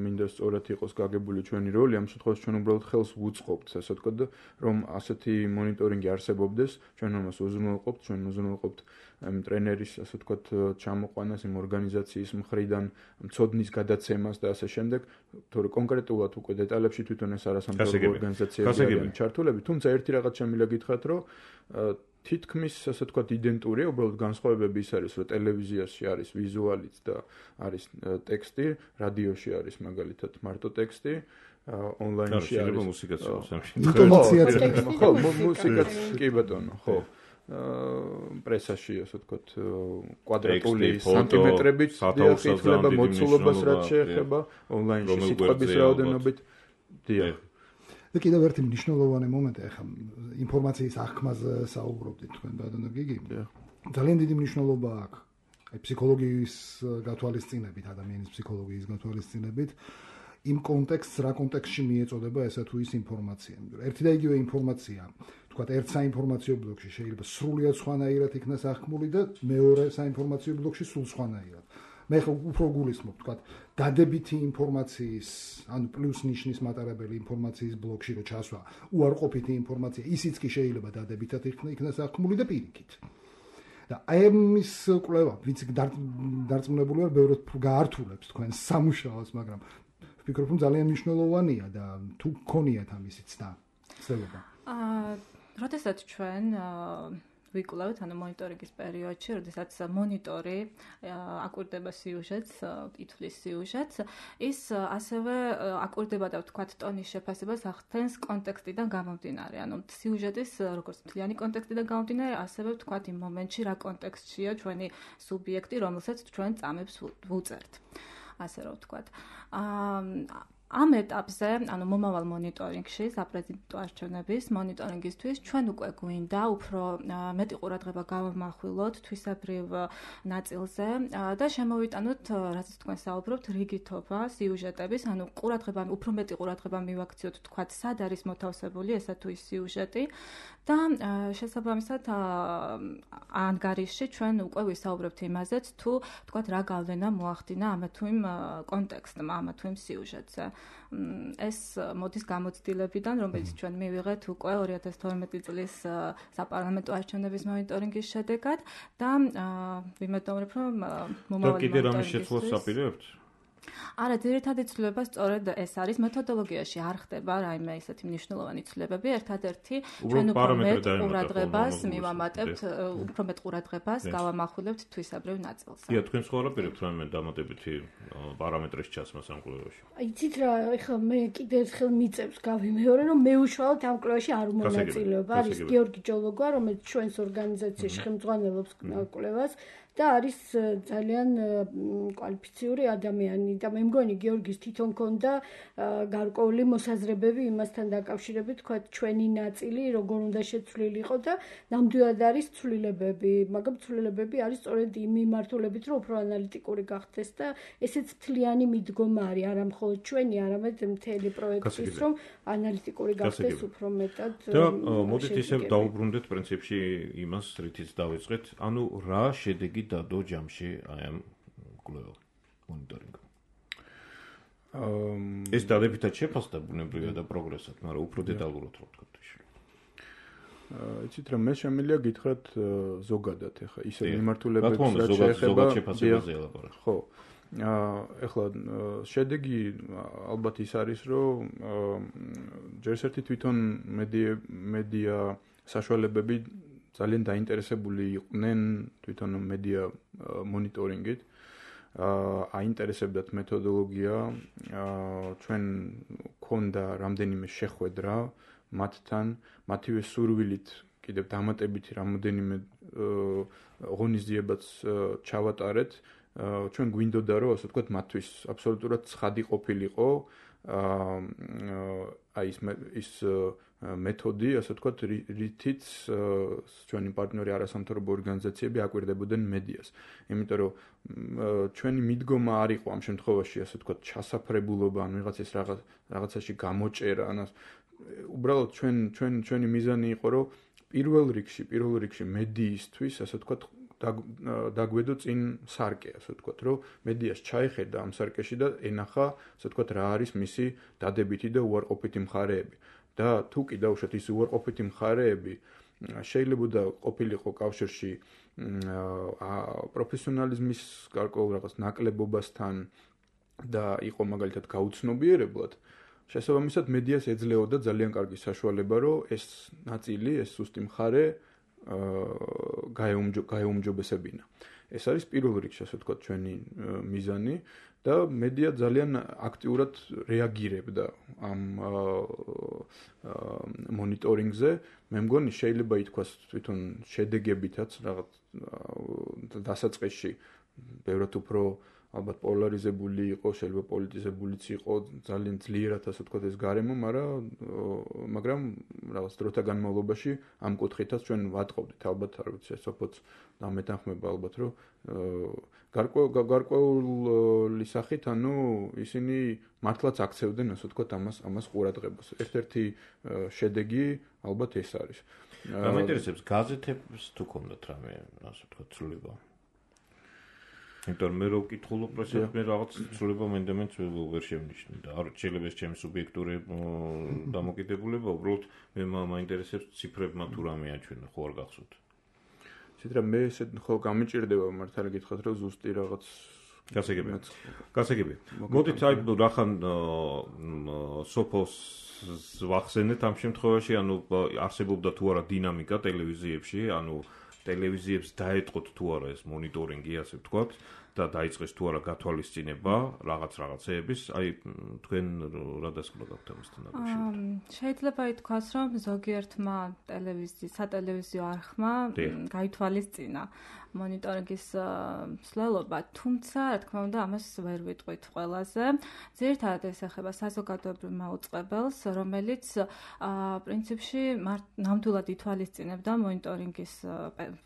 მინდა სწორად იყოს გაგებული ჩვენი როლი, ამ შემთხვევაში ჩვენ უბრალოდ ხელს ვუწყობთ, ასე ვთქვათ, რომ ასეთი მონიტორინგი არსებობდეს, ჩვენ ამას უზრუნველყოფთ, ჩვენ უზრუნველყოფთ ტრენერის, ასე ვთქვათ, ჩამოყვანას იმ ორგანიზაციის მხრიდან, მცოდნის გადაცემას და ასე შემდეგ, თორე კონკრეტულად უკვე დეტალებში თვითონ ეს არასამთავრობო ორგანიზაციები არიან ჩართულები, თუმცა ერთი რაღაც შემიძლია გითხრათ, რომ თითქმის, ასე ვთქვათ, იდენტურია, უბრალოდ განსხვავებები ის არის, რომ ტელევიზიაში არის ვიზუალიც და არის ტექსტი, რადიოში არის მაგალითად მარტო ტექსტი, ონლაინში არის მუსიკაც ხო, მუსიკაც კი ბატონო, ხო. პრესაში, ასე ვთქვათ, კვადრატული სანტიმეტრებით ითვლება მოცულობას, რაც შეეხება ონლაინში სიტყვების რაოდენობით. დიახ. და კიდევ ერთი მნიშვნელოვანი მომენტი, ახლა ინფორმაციის აღქმაზე საუბრობდით თქვენ ბატონო გიგი. ძალიან დიდი მნიშვნელობა აქვს აი ფსიქოლოგიის გათვალისწინებით, ადამიანის ფსიქოლოგიის გათვალისწინებით. იმ კონტექსტს, რა კონტექსტში მიეწოდება ესა თუ ის ინფორმაცია. ერთი და იგივე ინფორმაცია, თქვათ, ერთ საინფორმაციო ბლოკში შეიძლება სრულიად სხვანაირად იქნას აღქმული და მეორე საინფორმაციო ბლოკში სულ სხვანაირად. მე ხო უფრო გულისხმობ, თქვათ, დადებითი ინფორმაციის, ანუ პლუს ნიშნის მატარებელი ინფორმაციის ბლოკში რო ჩასვა, უარყოფითი ინფორმაცია, ისიც კი შეიძლება დადებითად იქნას აღქმული და პირიქით. და აი ამის კვლევა, ვინც დარწმუნებული ვარ, ბევრად გაართულებს თქვენ სამუშაოს, მაგრამ ვფიქრობ, რომ ძალიან მნიშვნელოვანია და თუ გქონიათ ამისი ცდა, ცდილობა. როდესაც ჩვენ ვიკვლევთ, ანუ მონიტორინგის პერიოდში, როდესაც მონიტორი აკვირდება სიუჟეტს, ითვლის სიუჟეტს, ის ასევე აკვირდება და ვთქვათ ტონის შეფასებას ახდენს კონტექსტიდან გამომდინარე. ანუ სიუჟეტის როგორც მთლიანი კონტექსტიდან გამომდინარე, ასევე ვთქვათ იმ მომენტში რა კონტექსტშია ჩვენი სუბიექტი, რომელსაც ჩვენ წამებს ვუწერთ. ასე რომ ვთქვათ. ამ ეტაპზე, ანუ მომავალ მონიტორინგში, საპრეზიდენტო არჩევნების მონიტორინგისთვის ჩვენ უკვე გვინდა უფრო მეტი ყურადღება გავამახვილოთ თვისებრივ ნაწილზე და შემოვიტანოთ, რასაც თქვენ საუბრობთ, რიგითობა სიუჟეტების, ანუ უფრო მეტი ყურადღება მივაქციოთ, თქვათ, სად არის მოთავსებული ესა თუ ის სიუჟეტი და შესაბამისად ანგარიშში ჩვენ უკვე ვისაუბრებთ იმაზეც, თუ თქვათ, რა გავლენა მოახდინა ამა თუ იმ კონტექსტმა, ამა თუ იმ სიუჟეტზე. ეს მოდის გამოცდილებიდან, რომელიც ჩვენ მივიღეთ უკვე 2012 წლის საპარლამენტო არჩევნების მონიტორინგის შედეგად და ვიმედოვნებ, რომ მომავალ და კიდე რამე შეცვლას აპირებთ? არა, ძირითადი ცვლილება სწორედ ეს არის, მეთოდოლოგიაში არ ხდება რაიმე ისეთი მნიშვნელოვანი ცვლილებები, ერთადერთი ჩვენ უფრო მეტ ყურადღებას მივამატებთ, უფრო მეტ ყურადღებას გავამახვილებთ თვისებრივ ნაწილზე. ია, თქვენ სხვა რა პირებთ რაიმე დამატებითი პარამეტრის ჩაცმას ამ კვლევაში? იცით რა, ეხლა მე კიდე ერთხელ მიწევს გავიმეორე, რომ მე უშუალოდ ამ კვლევაში არ უმონაწილეობა. არის გიორგი ჯოლოგვა, რომელიც ჩვენს ორგანიზაციაში ხელმძღვანელობს კვლევას და არის ძალიან კვალიფიციური ადამიანი და მე მგონი გიორგის თვითონ ქონდა გარკვეული მოსაზრებები იმასთან დაკავშირებით, თქვა ჩვენი ნაწილი როგორ უნდა შეცვლილიყო და ნამდვილად არის ცვლილებები, მაგრამ ცვლილებები არის სწორედ იმ მიმართულებით, რომ უფრო ანალიტიკური გახდეს და ესეც მთლიანი მიდგომა არის, არა მხოლოდ ჩვენი, არამედ მთელი პროექტის, რომ ანალიტიკური გახდეს უფრო მეტად. და მოდით ისე დავუბრუნდეთ პრინციპში იმას, რითიც დავიწყეთ, ანუ რა შედეგი დადო ჯამში აი ამ კვლევ მონიტორინგ. ეს დადებითად შეფასდა ბუნებრივია და პროგრესად, მაგრამ უფრო დეტალურად რო ვთქვათ. იცით რა, მე შემიძლია გითხრათ ზოგადად ახლა ისე მიმართულებებს რაც შეეხება შეფასებაზე ელაპარაკ. ხო. ახლა შედეგი ალბათ ის არის, რომ ჯერ ერთი თვითონ მედია საშუალებები ძალიან დაინტერესებული იყვნენ თვითონ მედია მონიტორინგით. აინტერესებდათ მეთოდოლოგია, ჩვენ გქონდა რამდენიმე შეხვედრა მათთან, მათივე სურვილით კიდევ დამატებითი რამოდენიმე ღონისძიებაც ჩავატარეთ. ჩვენ გვინდოდა, რომ ასე ვთქვათ, მათთვის აბსოლუტურად ცხადი ყოფილიყო აი ის მეთოდი, ასე ვთქვათ, რითიც ჩვენი პარტნიორი არასამთავრობო ორგანიზაციები აკვირდებოდნენ მედიას. იმიტომ რომ ჩვენი მიდგომა არ იყო ამ შემთხვევაში, ასე ვთქვათ, ჩასაფრებულობა, ან ვიღაცის რაღაცაში გამოჭერა, ან უბრალოდ ჩვენი მიზანი იყო, რომ პირველ რიგში მედიისთვის, ასე ვთქვათ, დაგვედო წინ სარკე, ასე ვთქვათ, რომ მედიას ჩაეხედა ამ სარკეში და ენახა, ასე ვთქვათ, რა არის მისი დადებითი და უარყოფითი მხარეები. და თუ კი დავუშვათ ის უარყოფითი მხარეები შეიძლება ყოფილიყო კავშირში პროფესიონალიზმის გარკვეულ რაღაც ნაკლებობასთან და იყო მაგალითად გაუცნობიერებლად, შესაბამისად მედიას ეძლეოდა ძალიან კარგი საშუალება, რომ ეს ნაწილი, ეს სუსტი მხარე გაეუმჯობესებინა. ეს არის პირველ რიგში, ასე ვთქვათ, ჩვენი მიზანი და მედია ძალიან აქტიურად რეაგირებდა ამ მონიტორინგზე. მე მგონი შეიძლება ითქვას თვითონ შედეგებითაც რაღაც დასაწყისში ბევრად უფრო ალბათ პოლარიზებული იყო, შეიძლება პოლიტიზებულიც იყო, ძალიან ძლიერად ასე ვთქვათ ეს გარემო, მაგრამ რაღაც დროთა განმავლობაში ამ კუთხითაც ჩვენ ვატყობდით, ალბათ არ ვიცი, ესოფოც დამეთანხმება ალბათ, რომ გარკვეული სახით, ანუ ისინი მართლაც აქცევდნენ, ასე ვთქვათ, ამას ყურადღებას. ერთ-ერთი შედეგი ალბათ ეს არის. მაინტერესებს გაზეთებს თუ ქონდათ რამე, ასე ვთქვათ, ცვლილება? იმიტომ მე რო ვკითხულობ, მე რაღაც ცვლილება მენდემენტს ვერ შევნიშნე და არ შეიძლება ეს ჩემი სუბიექტური დამოკიდებულება, უბრალოდ მე მაინტერესებს ციფრებმა თუ რამე აჩვენა, ხო არ გახსოვთ? ცითრა მე ესე ხო გამიჭირდება მართალი გითხრათ, რომ ზუსტი რაღაც გასაგები. მოდით აი რახან სოფოს ვახსენეთ ამ შემთხვევაში, ანუ არსებობდა თუ არა დინამიკა ტელევიზიებში, ანუ ტელევიზიებს დაეტყოთ თუ არა ეს მონიტორინგი, ასე ვთქვათ, და დაიწყეს თუ არა გათვალისწინება რაღაცეების, აი თქვენ რა დასკვნა გაქვთ ამასთან დაკავშირებით? შეიძლება ითქვას, რომ ზოგიერთმა სატელევიზიო არხმა გაითვალისწინა მონიტორინგის მსვლელობა, თუმცა, რა თქმა უნდა, ამას ვერ ვიტყვით ყველაზე. ძირითადად ეს ეხება საზოგადოებრივ მაუწყებელს, რომელიც პრინციპში ნამდვილად ითვალისწინებდა მონიტორინგის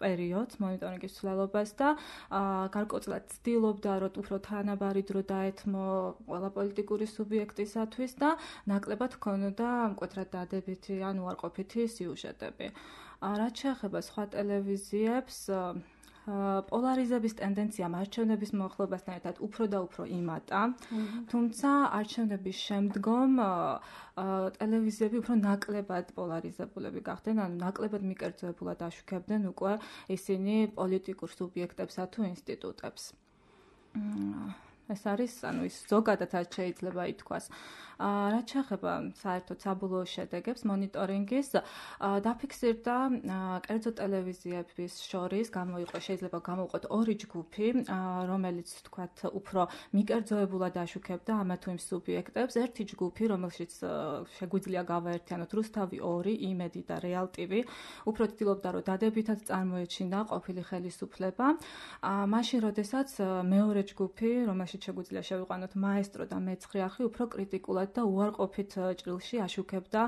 პერიოდს, მონიტორინგის მსვლელობას და გარკვეულად ცდილობდა, რომ უფრო თანაბარი დრო დაეთმო ყველა პოლიტიკური სუბიექტისათვის და ნაკლებად ჰქონოდა მკვეთრად დადებითი ან უარყოფითი სიუჟეტები. რაც შეეხება სხვა ტელევიზიებს, პოლარიზების ტენდენცია არჩევნების მოხლებასთან ერთად უფრო და უფრო იმატა, თუმცა არჩევნების შემდგომ ტელევიზიები უფრო ნაკლებად პოლარიზებულები გახდნენ, ანუ ნაკლებად მიკერძოებულად აშუქებდნენ უკვე ისინი პოლიტიკურ სუბიექტებსა თუ ინსტიტუტებს. ეს არის, ანუ ის ზოგადად შეიძლება ითქვას. რაც შეეხება საერთოდ საბოლოო შედეგებს მონიტორინგის, დაფიქსირდა კერძო ტელევიზიების შორის შეიძლება გამოვიყოთ ორი ჯგუფი, რომელიც თქვათ უფრო მიკერძოებულად აშუქებდა ამა თუ იმ სუბიექტებს. ერთი ჯგუფი, რომელშიც შეგვიძლია გავაერთიანოთ რუსთავი 2, იმედი და რეალ TV, უფრო ცდილობდა, რომ დადებითად წარმოეჩინა ყოფილი ხელისუფლება. მაშინ, როდესაც მეორე ჯგუფი, რომელშიც შეგვიძლია შევიყვანოთ მაესტრო და მეცხრე არხი, უფრო კრიტიკულად და უარყოფით ჭრილში აშუქებდა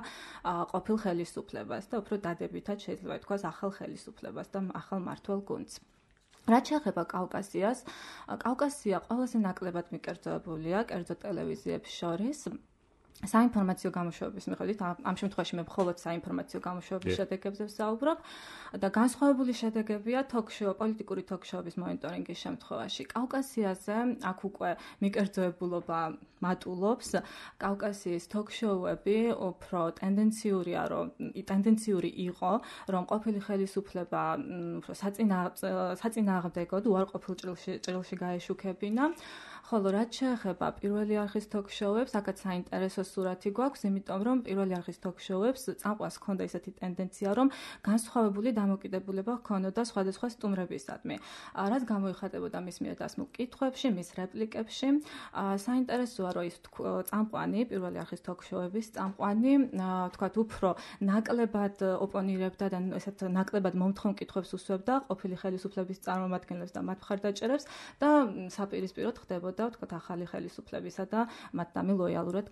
ყოფილ ხელისუფლებას და უფრო დადებითად შეიძლება ითქვას ახალ ხელისუფლებას და ახალ მმართველ გუნდს. რაც შეეხება კავკასიას, კავკასია ყველაზე ნაკლებად მიკერძოებულია კერძო ტელევიზიებს შორის. საინფორმაციო გამოშვების მიხედვით, ამ შემთხვევაში მე მხოლოდ საინფორმაციო გამოშვების შედეგებზე ვსაუბრობ და განსხვავებული შედეგებია პოლიტიკური თოქ-შოუების მონიტორინგის შემთხვევაში. კავკასიაზე აქ უკვე მიკერძოებულობა მატულობს. კავკასიის თოქ-შოუები უფრო ტენდენციური იყო, რომ ყოფილი ხელისუფლება უფრო საწინააღმდეგოდ უარყოფილ ჭრილში გაეშუქებინა. ხოლო რაც შეეხება პირველი არხის თოქ-შოუებს, აქაც საინტერესო სურათი გვაქვს, იმიტომ რომ პირველი არხის თოქ-შოუებს წამყვანს ჰქონდა ისეთი ტენდენცია, რომ განსხვავებული დამოკიდებულება ჰქონოდა სხვადასხვა სტუმრებისადმი. რაც გამოიხატებოდა მის მიერ დასმულ კითხვებში, მის რეპლიკებში. საინტერესოა, რომ ის წამყვანი, პირველი არხის თოქ-შოუების წამყვანი, თქვათ, უფრო ნაკლებად ოპონირებდა და ესეთ ნაკლებად მომთხოვნ კითხვებს უსვებდა ყოფილი ხელისუფლების წარმომადგენლებს და მათ მხარდაჭერებს და საპირისპიროდ ხდებოდა ვთქვათ, ახალი ხელისუფლებისა და მათთამი ლოიალურად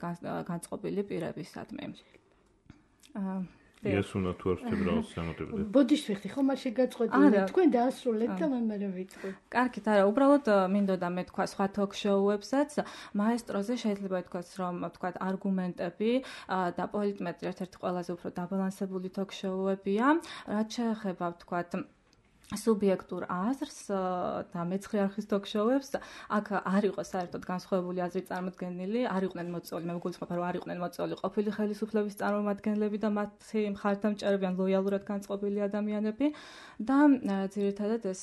განწყობილი პირებისადმი. იესუნა თუ არ ვთქვი რა სამოტებდა. ბოდიშ ვიხდი, ხომ არ შეგაწყვეტილი. თქვენ დაასრულეთ და მე ვიტყვი. კარგით, არა, უბრალოდ მინდოდა მე თქვა სხვა თოქ-შოუებსაც, მაესტროზე შეიძლება ითქვას, რომ ვთქვათ, არგუმენტები და პოლიტმეტრი ერთ-ერთი ყველაზე უფრო დაბალანსებული თოქ-შოუებია. რაც შეეხება ვთქვათ სუბიექტურ აზრს და მეცხრე არხის თოქ-შოუებს, აქ არ იყო საერთოდ განსხვავებული აზრი წარმოდგენილი, არ იყვნენ მოწვეული, მე მგონი, რომ არ იყვნენ მოწვეული ყოფილი ხელისუფლების წარმომადგენლები და მათი მხარდამჭერები ან ლოიალურად განწყობილი ადამიანები და ძირითადად ეს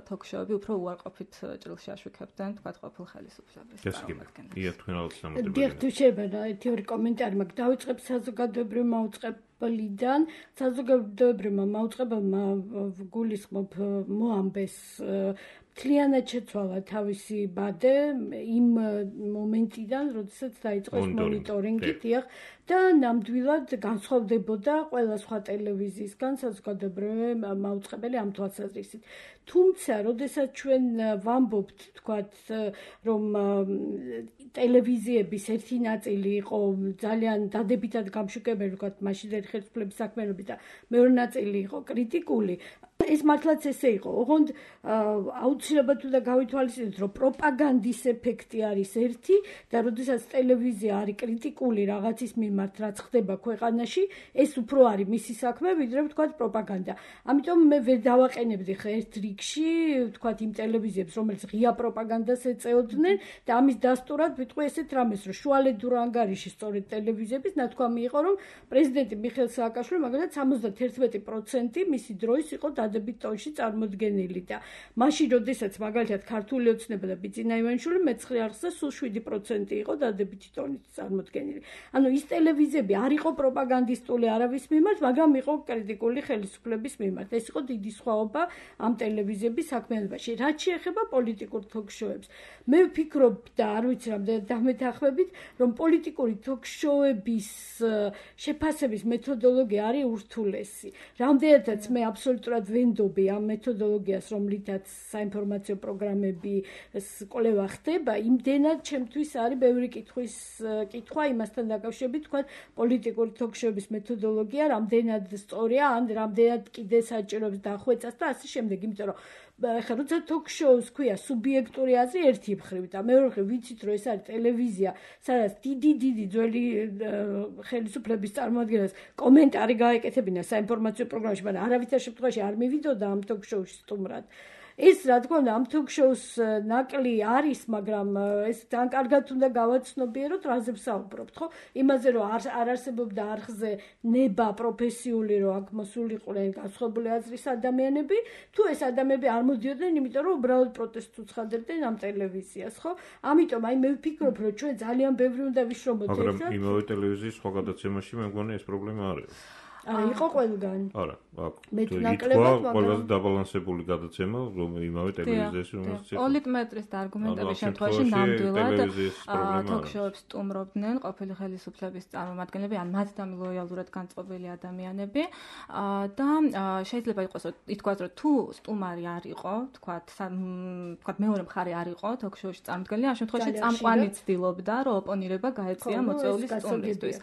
თოქ-შოუები უფრო უარყოფით ჭრილში აშუქებდნენ, თქვათ, ყოფილ ხელისუფლების წარმომადგენლებს. ია თქვენ ალბათ სამოდებდა. დიახ, თუ შეიძლება ერთი ორი კომენტარი მაქვს, დავიწყებ საზოგადოებრივ მაუწყებლიდან. საზოგადოებრივმა მაუწყებელმა გულისხმობ მოამბეს მთლიანად შეცვალა თავისი ბადე იმ მომენტიდან, როდესაც დაიწყო ეს მონიტორინგი, დიახ, და ნამდვილად განსხვავდებოდა ყველა სხვა ტელევიზიისგან საზოგადოებრივი მაუწყებელი ამ თვალსაზრისით. თუმცა, როდესაც ჩვენ ვამბობთ, თქვათ, რომ ტელევიზიების ერთი ნაწილი იყო ძალიან დადებითად გამშუქებელი, თქვათ, მაშინდელი ხელისუფლების საქმიანობით და მეორე ნაწილი იყო კრიტიკული, ეს მართლაც ესე იყო. ოღონდ აუცილებლად უნდა გავითვალისწინოთ, რომ პროპაგანდის ეფექტი არის ერთი და როდესაც ტელევიზია არის კრიტიკული რაღაცის მიმართ, რაც ხდება ქვეყანაში, ეს უფრო არის მისი საქმე, ვიდრე ვთქვათ პროპაგანდა. ამიტომ მე ვერ დავაყენებდი ხა ერთ რიგში, ვთქვათ, იმ ტელევიზიებს, რომელიც ღია პროპაგანდას ეწეოდნენ და ამის დასტურად ვიტყვი ესეთ რამეს, რომ შუალედურ ანგარიში სწორედ ტელევიზიების ნათქვამი იყო, რომ პრეზიდენტი მიხეილ სააკაშვილი მაგალითად 71% მისი დროის იყო დადებით ტონში წარმოდგენილი და მაშინ როდესაც მაგალითად ქართული ოცნება და ბიძინა ივანიშვილი მეცხრე არხზე სულ 7% იყო დადებითი ტონით წარმოდგენილი. ანუ ის ტელევიზიები არ იყო პროპაგანდისტული არავის მიმართ, მაგრამ იყო კრიტიკული ხელისუფლების მიმართ. ეს იყო დიდი სხვაობა ამ ტელევიზიების საქმიანობაში. რაც შეეხება პოლიტიკურ თოქ-შოუებს, მე ვფიქრობ და არ ვიცი რამდენად დამეთანხმებით, რომ პოლიტიკური თოქ-შოუების შეფასების მეთოდოლოგია არის ურთულესი. რამდენადაც მე აბსოლუტურად ვენდობი ამ მეთოდოლოგიას, რომლითაც საინფორმაციო პროგრამები კვლევა ხდება, იმდენად ჩემთვის არის ბევრი კითხვა იმასთან დაკავშირებით, თქვა პოლიტიკური თოქ-შოუების მეთოდოლოგია რამდენად სწორია, ან რამდენად კიდე საჭიროებს დახვეწას და ასე შემდეგ, იმიტომ რომ ხა როცა თოქ-შოუს ქვია სუბიექტური აზრი ერთი მხრივ და მეორე მხრივ ვიცით რომ ეს არის ტელევიზია, სადაც დიდი ძველი ხელისუფლების წარმოადგენლებს კომენტარი გაეკეთებინა საინფორმაციო პროგრამაში, მაგრამ არავითარ შემთხვევაში არ მივიდოდა ამ თოქ-შოუში სტუმრად. ეს რა თქმა უნდა ამ თოქ-შოუს ნაკლი არის, მაგრამ ეს ძალიან კარგად უნდა გავაცნობიეროთ, რაზე ვსაუბრობთ, ხო? იმაზე რომ არ არსებობდა არხზე ნება პროფესიული, რომ აქ მოსულიყვნენ განსხვავებული აზრის ადამიანები, თუ ეს ადამიანები არ მოდიოდნენ, იმიტომ რომ უბრალოდ პროტესტს უცხადებდნენ ამ ტელევიზიას, ხო? ამიტომ მე ვფიქრობ, რომ ჩვენ ძალიან ბევრი უნდა ვიშრომოთ ერთად. მაგრამ იმავე ტელევიზიის სხვა გადაცემაში მე მგონი ეს პრობლემა არ იყო. იყო ყველგან. არა, აქ. მე თუ ნაკლებად, მაგრამ ყველაზე დაბალანსებული გადაცემა, რომ იმავე ტელევიზიაში რომელიც იყო. პოლიტმეტრის და არგუმენტების შემთხვევაში ნამდვილად თოქ-შოუებს სტუმრობდნენ ყოფილი ხელისუფლების წარმომადგენლები, ან მათთან ლოიალურად განწყობილი ადამიანები და შეიძლება ითქვას, რომ თუ სტუმარი არ იყო, თქვათ მეორე მხარე არ იყო თოქ-შოუში წარმოდგენილი, ამ შემთხვევაში წამყვანი ცდილობდა, რომ ოპონირება გაეწია მოწვეული სტუმრისთვის.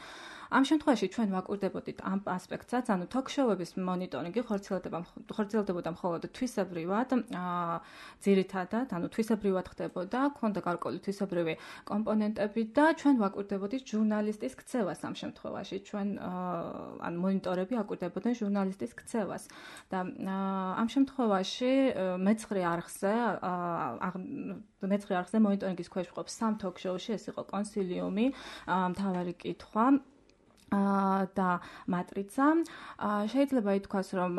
ამ შემთხვევაში ჩვენ ვაკვირდებოდით ამ ასპექტსაც, ანუ თოქ-შოუების მონიტორინგი ხორციელდებოდა მხოლოდ თვისებრივად, ძირითადად, ანუ თვისებრივად ხდებოდა, ქონდა გარკვეული თვისებრივი კომპონენტები და ჩვენ ვაკვირდებოდით ჟურნალისტის ქცევას ამ შემთხვევაში. ჩვენ ან მონიტორები აკვირდებოდნენ ჟურნალისტის ქცევას და ამ შემთხვევაში მეცხრე არხზე მონიტორინგის ქვეშ ვყოფ 3 თოქ-შოუში, ეს იყო კონსილიუმი, მთავარი კითხვა და მატრიცა. შეიძლება ითქვას, რომ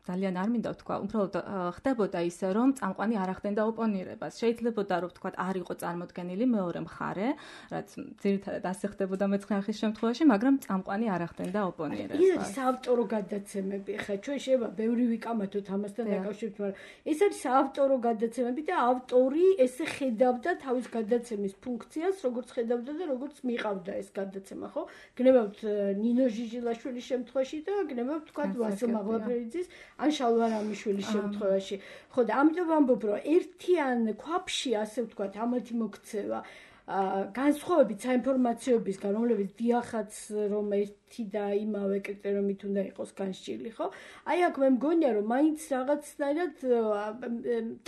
ძალიან არ მინდა ვთქვა, უბრალოდ ხდებოდა ისე, რომ წამყვანი არ ახდენდა ოპონირებას. შეიძლებოდა, რომ ვთქვათ, არ იყო წარმოდგენილი მეორე მხარე, რაც ძირითადად ასე ხდებოდა მეცხრე არხის შემთხვევაში, მაგრამ წამყვანი არ ახდენდა ოპონირებას. ის არის საავტორო გადაცემები, ხა ჩვენ შეიძლება ბევრი ვიკამათოთ ამასთან დაკავშირებით, მაგრამ ეს არის საავტორო გადაცემები და ავტორი ესე ხედავდა თავის გადაცემის ფუნქციას, როგორც ხედავდა და როგორც მიყავდა ეს გადაცემა, ხო? გნებავთ ნინო ჟიჟილაშვილის შემთხვევაში და გნებავთ ვთქვათ ვასილ მაღლაფერიძის ან შალვა რამიშვილის შემთხვევაში. ხო და ამიტომ ვამბობ, რომ ერთიან ქვაფში, ასე ვთქვათ, ამათი მოქცევა განსხვავებით საინფორმაციოებისგან, რომლებიც დიახაც რომ ერთი და იმავე კრიტერიუმით უნდა იყოს განსჭილი, ხო? აი აქ მე მგონია, რომ მაინც რაღაცნაირად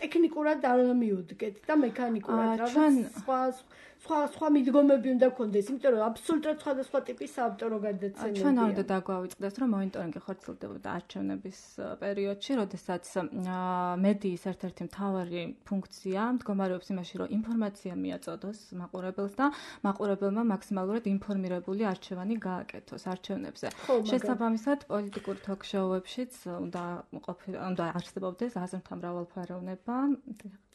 ტექნიკურად არ მივუდგეთ და მექანიკურად რაღაც სხვა მიდგომები უნდა გქონდეს, იმიტომ რომ აბსოლუტურად სხვადასხვა ტიპის საავტორო გადაცემებია. ჩვენ არ უნდა დაგვავიწყდეს, რომ მონიტორინგი ხორციელდებოდა არჩევნების პერიოდში, როდესაც მედიის ერთ-ერთი მთავარი ფუნქცია მდგომარეობს იმაში, რომ ინფორმაცია მიაწოდოს მაყურებელს და მაყურებელმა მაქსიმალურად ინფორმირებული არჩევანი გააკეთოს არჩევნებზე. შესაბამისად, პოლიტიკურ თოქ-შოუებშიც უნდა არსებობდეს აზრთა მრავალფეროვნება.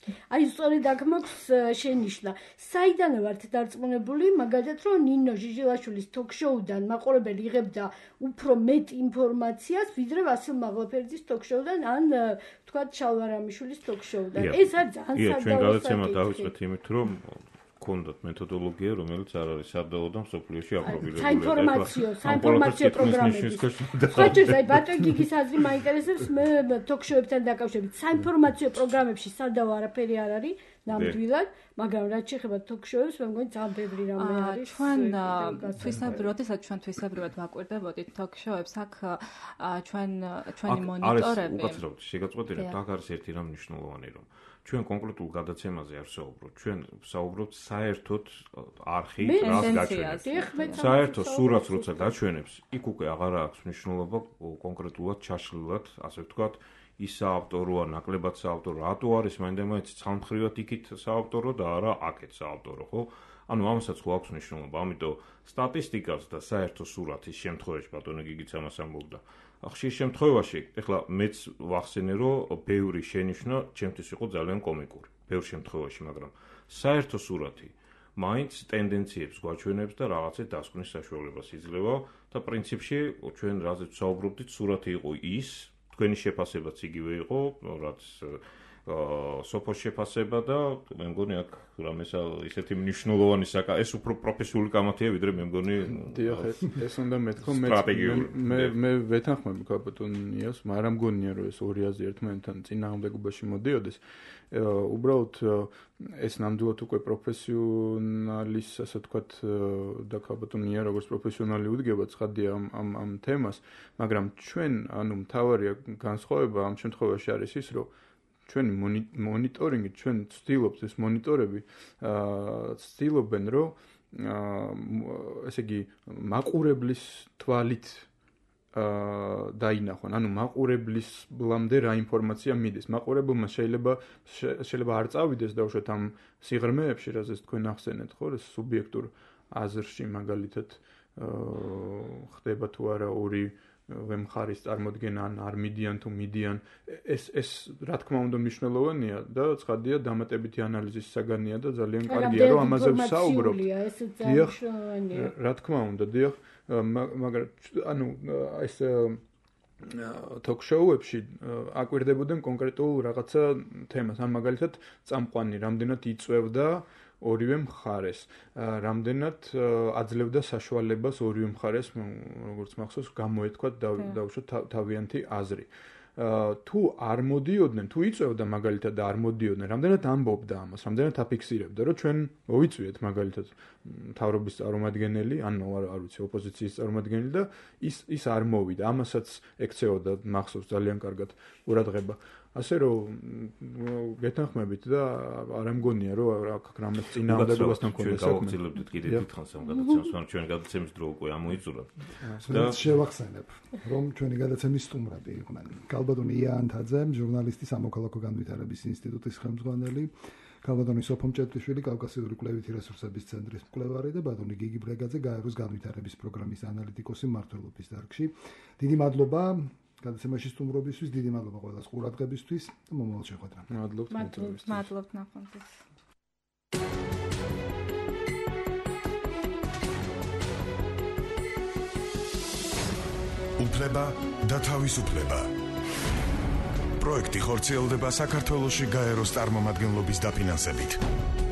აი სწორედ აქ მაქვს შენიშვნა. საიდან ვართ დარწმუნებული, მაგალითად, რომ ნინო ჟიჟილაშვილის თოქ-შოუდან მაყურებელი იღებდა უფრო მეტ ინფორმაციას, ვიდრე ვასილ მაღლაფერიძის თოქ-შოუდან ან ვთქვათ შალვა რამიშვილის თოქ-შოუდან. ეს არის ძალიან სადავო. ჩვენ გადაცემა დავიწყეთ იმით, რომ გქონდათ მეთოდოლოგია, რომელიც არ არის სადავო და მსოფლიოში აპრობირებული. საინფორმაციო პროგრამები. ხოჭოს აი ბატონ გიგის აზრი მაინტერესებს, მე თოქ-შოუებთან დაკავშირებით. საინფორმაციო პროგრამებში სადავო არაფერი არ არის. ნამდვილად, მაგრამ რაც შეეხება თოქ-შოუებს, მე მგონი ძალიან ბევრი რამე არის. ჩვენ თვისებრივად ვაკვირდებოდით თოქ-შოუებს, აქ ჩვენი მონიტორები. უკაცრავად შეგაწყვეტინებთ, აქ არის ერთი რამ მნიშვნელოვანი, რომ ჩვენ კონკრეტულ გადაცემაზე არ ვსაუბრობთ. ჩვენ ვსაუბრობთ საერთოდ არხი რას გაჩვენებს. საერთო სურათს როცა გაჩვენებს, იქ უკვე აღარ აქვს მნიშვნელობა კონკრეტულად ჩაშლილად, ასე ვთქვათ, ის საავტოროა, ნაკლებად საავტორო, რატო არის მაინდა-მაინც ცალმხრივად იქით საავტორო და არა აქეთ საავტორო, ხო? ანუ ამასაც ხო აქვს მნიშვნელობა, ამიტომ სტატისტიკას და საერთო სურათის შემთხვევაში ბატონო გიგიც ამას ამბობდა. ხშირ შემთხვევაში, ეხლა მეც ვახსენე, რომ ბევრი შენიშვნა ჩემთვის იყო ძალიან კომიკური, ბევრ შემთხვევაში, მაგრამ საერთო სურათი მაინც ტენდენციებს გვაჩვენებს და რაღაცეთ დასკვნის საშუალებას იძლევა და პრინციპში ჩვენ რაზეც ვსაუბრობდით, სურათი იყო ის, თქვენი შეფასებაც იგივე იყო, რაც სოფოს შეფასება და მე მგონი აქ რამეს ისეთი მნიშვნელოვანი ეს უფრო პროფესიული კამათია ვიდრე მე მგონი დიახ ეს უნდა მეთქო მე ვეთანხმები კაპიტონიას მაგრამ მგონია რომ ეს ორი აზრი ერთმანეთთან წინააღმდეგობაში მოდიოდეს უბრალოდ ეს ნამდვილად უკვე პროფესიონალის ასე ვთქვათ და კაპიტონია როგორც პროფესიონალი უდგება ცხადია ამ თემას მაგრამ ჩვენ ანუ მთავარი განსხვავება ამ შემთხვევაში არის ის რომ ჩვენ მონიტორინგი ჩვენ ვცდილობთ ეს მონიტორები ვცდილობენ რომ ესე იგი მაყურებლის თვალით დაინახონ ანუ მაყურებლისამდე რა ინფორმაცია მიდის მაყურებელმა შეიძლება არ წავიდეს დაუშვათ ამ სიღრმეებში რაზეც თქვენ ახსენეთ ხო ეს სუბიექტურ აზრში მაგალითად ხდება თუ არა ორი ვემხარის წარმოდგენა ან არ მიდიან თუ მიდიან ეს რა თქმა უნდა მნიშვნელოვანია და ცხადია დამატებითი ანალიზის საგანია და ძალიან კარგია რომ ამაზე ვსაუბრობთ დიახ რა თქმა უნდა დიახ მაგრამ ანუ ეს ток-შოუებში აკვირდებოდნენ კონკრეტულ რაღაცა თემას ან მაგალითად წამყვანი რამდენად იწევდა ორივე მხარეს რამდენად აძლევდა საშუალებას ორივე მხარეს როგორც მახსოვს გამოეთქვათ დაუშვათ თავიანთი აზრი თუ არ მოდიოდნენ თუ იწევდა მაგალითად და არ მოდიოდნენ რამდენად ამბობდა ამას რამდენად აფიქსირებდა რომ ჩვენ მოვიწვიეთ მაგალითად მთავრობის წარმომადგენელი ან არ ვიცი ოპოზიციის წარმომადგენელი და ის არ მოვიდა ამასაც ექცეოდა მახსოვს ძალიან კარგად ყურადღება ასე რომ გეთანხმებით და არ ამგონია რომ რამეს წინააღმდეგობასთან კონდეს საქმე. გავაგზავნებთ კიდე დიდხანს ამ გადაცემას, მაგრამ ჩვენი გადაცემის დრო უკვე ამოიწურა. და შევახსენებ, რომ ჩვენი გადაცემის სტუმრები იყვნენ. კალბატონი იანთაძე, ჟურნალისტი, სამოქალაქო განვითარების ინსტიტუტის ხელმძღვანელი, კალბატონი სოფო მჭედრიშვილი, კავკასიური კვლევითი რესურსების ცენტრის მკვლევარი და ბატონი გიგი ბრეგაძე, გაეროს განვითარების პროგრამის ანალიტიკოსი მმართველობის დარგში. დიდი მადლობა გადაცემაში სტუმრობისთვის, დიდი მადლობა ყველას ყურადღებისთვის და მომავალ შეხვედრამ. მადლობთ ნახვამდის. უფლება და თავისუფლება. პროექტი ხორციელდება საქართველოში გაეროს წარმომადგენლობის დაფინანსებით.